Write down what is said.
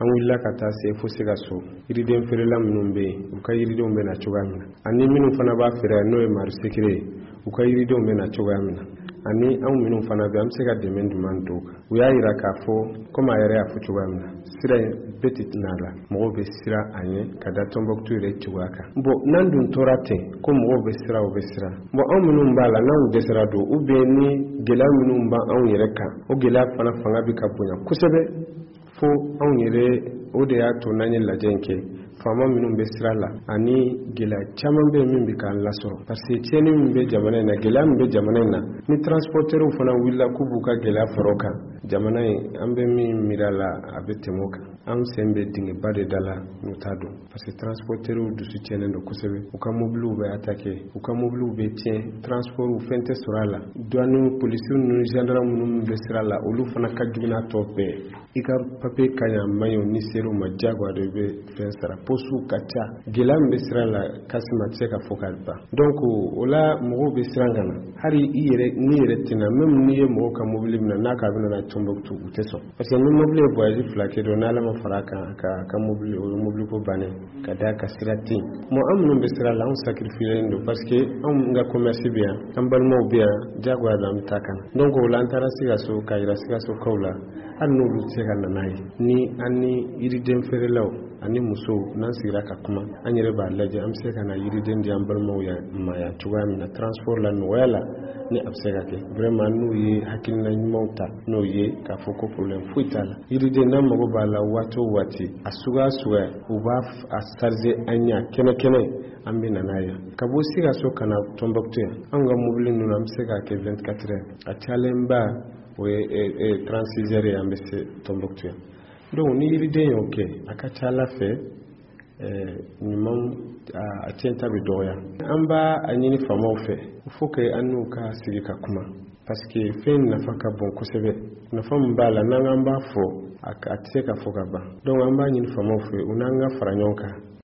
An wulila ka taa se fo Sikaso, yiriden feerela minnu bɛ yen, u ka yiridenw bɛ na cogoya min na, ani minnu fana b'a feere n'o ye marisikiri ye, u ka yiridenw bɛ na cogoya min na, ani anw minnu fana bɛ an bɛ se ka dɛmɛ jumɛn don kan. U y'a jira k'a fɔ komi a yɛrɛ y'a fɔ cogoya min na, sira in bɛɛ tɛ na a la, mɔgɔw bɛ siran a ɲɛ ka da Tɔnbɔkutu yɛrɛ cogoya kan. Bon, n'an dun tora ten ko mɔgɔw bɛ siran, u bɛ siran. Bon, anw minnu b'a la, n'anw dɛsɛra don, ou bien ni gɛlɛya minnu b'anw yɛrɛ kan, o gɛlɛya fana fanga bɛ ka bonya kosɛbɛ fo anw yɛrɛ. O de y'a to n'an ye lajɛ in kɛ, faama minnu bɛ sira la ani gɛlɛya caman bɛ min bɛ k'an lasɔrɔ, parce que tiɲɛni min bɛ jamana in na, gɛlɛya min bɛ jamana in na, ni transporteurs fana wulila k'u b'u ka gɛlɛya fara o kan, jamana in an bɛ min miiri a la, a bɛ tɛmɛ o kan. An sen bɛ dingɛba de da la n'u t'a dɔn, parce que transporteurs dusu tiɲɛnen don kosɛbɛ. U ka mobiliw bɛ attaquer, u ka mobiliw bɛ tiɲɛ, transport fɛn tɛ sɔrɔ a la. Douane, polisiw ni gendarme minnu bɛ sira la, olu fana ka jugu n'a tɔ bɛɛ. I ka papier ka ɲi a man ɲi, ni ser'u ma, diyagoya de bɛ fɛn sara. Postew ka ca, gɛlɛya min bɛ sira la, Kasima, tɛ se ka fɔ ka ban. Donc o la mɔgɔw bɛ siran ka na. Hali i yɛrɛ n'i yɛrɛ tɛna, même n'i ye mɔgɔw ka mobili minɛ n'a k'a bɛ na Tɔnbɔkutu, u tɛ sɔn, parce que ni mobili ye voyage 2 kɛ dɔrɔn, n'Ala ma fara a kan, ka mobili, o ye mobili ko bannen ka da ka sira tɛ yen. Bon, an minnu bɛ sira la, anw sacrifié don, parce que anw ka commerce bɛ yan, an balimaw bɛ yan, diyagoya don an bɛ taa ka na. Donc o la an taara Sikaso k'a yira Sikasokaw la, hali n'olu tɛ se ka na n'a ye, ni an ni yiriden feerelaw ani musow n'an sigira ka kuma, an yɛrɛ b'a lajɛ an bɛ se ka na yiriden di an balimaw ma yan cogoya min na, transport la nɔgɔya la, ni a bɛ se ka kɛ. Vraiment, n'u ye hakilina ɲumanw ta, n'o ye k'a fɔ ko problème foyi t'a la, yiriden n'an mago b'a la waati o waati, a suguya suguya, u b'a a charger an ɲɛ kɛnɛ kɛnɛ, an bɛ na n'a ye ka bɔ Sikaso ka na Tɔnbɔkutu yan. Anw ka mobili ninnu, an bɛ se k'a kɛ 24 heures, a cayalenba o ye 36 heures ye, an bɛ se Tɔnbɔkutu yan. Donc ni yiriden y'o kɛ, a ka ca Ala fɛ, ɲuman a tiɲɛta bɛ dɔgɔya. An b'a a ɲini faamaw fɛ, il faut que an n'u ka sigi ka kuma, parce que fɛn nafa ka bon kosɛbɛ. Nafa min b'a la, n'an k'an b'a fɔ, a tɛ se ka fɔ ka ban. Donc an b'a ɲini faamaw fɛ, u n'an ka fara ɲɔgɔn kan.